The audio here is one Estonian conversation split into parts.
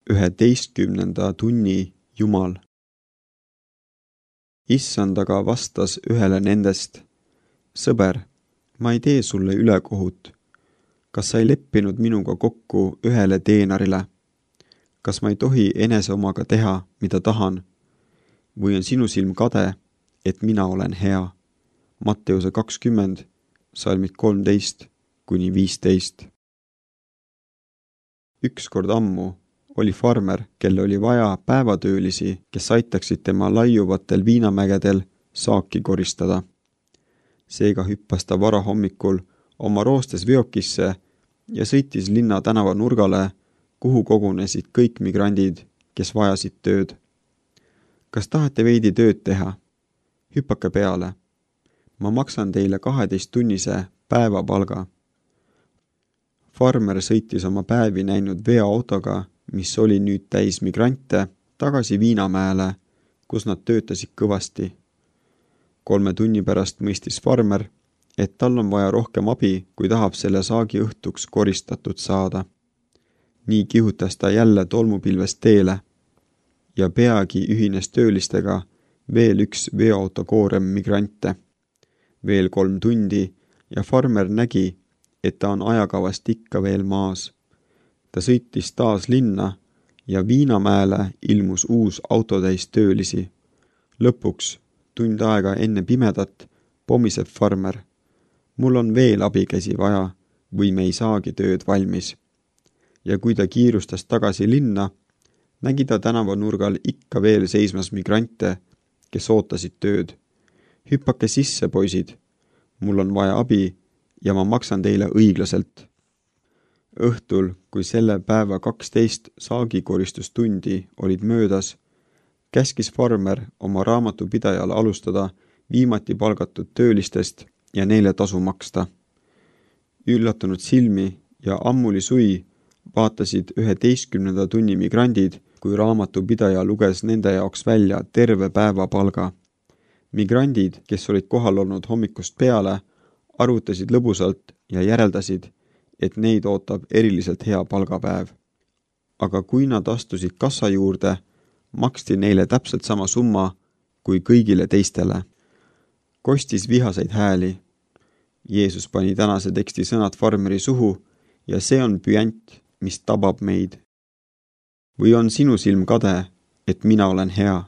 11. tunni Jumal. Issand aga vastas ühele nendest: sõber, ma ei tee sulle ülekohut. Kas sa ei leppinud minuga kokku ühele teenarile? Kas ma ei tohi enese omaga teha, mida tahan? Või on sinu silm kade, et mina olen hea? Matteuse 20, salmid 13-15. Ükskord ammu oli farmer, kelle oli vaja päevatöölisi, kes aitaksid tema laiuvatel viinamägedel saaki koristada. Seega hüppas ta varahommikul oma roostes veokisse ja sõitis linna tänava nurgale, kuhu kogunesid kõik migrandid, kes vajasid tööd. Kas tahate veidi tööd teha? Hüppake peale. Ma maksan teile 12-tunnise päevapalga. Farmer sõitis oma päevi näinud veoautoga, mis oli nüüd täis migrante, tagasi Viinamäele, kus nad töötasid kõvasti. 3 tunni pärast mõistis farmer, et tal on vaja rohkem abi, kui tahab selle saagi õhtuks koristatud saada. Nii kihutas ta jälle tolmupilvest teele ja peagi ühines töölistega veel üks veoauto koorem migrante. Veel 3 tundi ja farmer nägi, et ta on ajakavast ikka veel maas. Ta sõitis taas linna ja Viinamäele ilmus uus autotäis töölisi. Lõpuks, tund aega enne pimedat, pomiseb farmer: mul on veel abikäsi vaja või me ei saagi tööd valmis. Ja kui ta kiirustas tagasi linna, nägi ta tänavanurgal ikka veel seismas migrante, kes ootasid tööd. Hüppake sisse, poisid, mul on vaja abi ja ma maksan teile õiglaselt. Õhtul, kui selle päeva 12 saagikoristustundi olid möödas, käskis farmer oma raamatupidajale alustada viimati palgatud töölistest ja neile tasu maksta. Üllatunud silmi ja ammuli sui vaatasid 11. tunni migrandid, kui raamatupidaja luges nende jaoks välja terve päevapalga. Migrandid, kes olid kohal olnud hommikust peale, arvutasid lõbusalt ja järeldasid, et neid ootab eriliselt hea palgapäev. Aga kui nad astusid kassa juurde, maksti neile täpselt sama summa kui kõigile teistele. Kostis vihaseid hääli. Jeesus pani tänase teksti sõnad farmeri suhu ja see on püant, mis tabab meid. Või on sinu silm kade, et mina olen hea?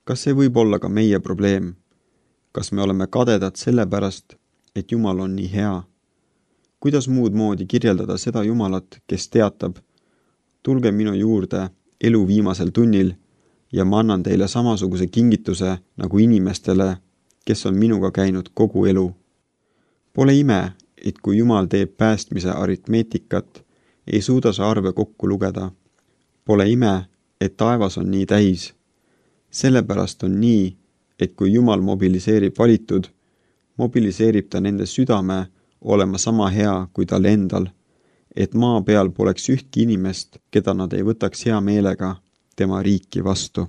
Kas see võib olla ka meie probleem? Kas me oleme kadedad sellepärast, et Jumal on nii hea? Kuidas muud moodi kirjeldada seda Jumalat, kes teatab: tulge minu juurde elu viimasel tunnil ja ma annan teile samasuguse kingituse nagu inimestele, kes on minuga käinud kogu elu. Pole ime, et kui Jumal teeb päästmise aritmeetikat, ei suuda sa arve kokku lugeda. Pole ime, et taevas on nii täis. Sellepärast on nii, et kui Jumal mobiliseerib valitud, mobiliseerib ta nende südame olema sama hea kui tal endal, et maa peal poleks ühtki inimest, keda nad ei võtaks hea meelega tema riiki vastu.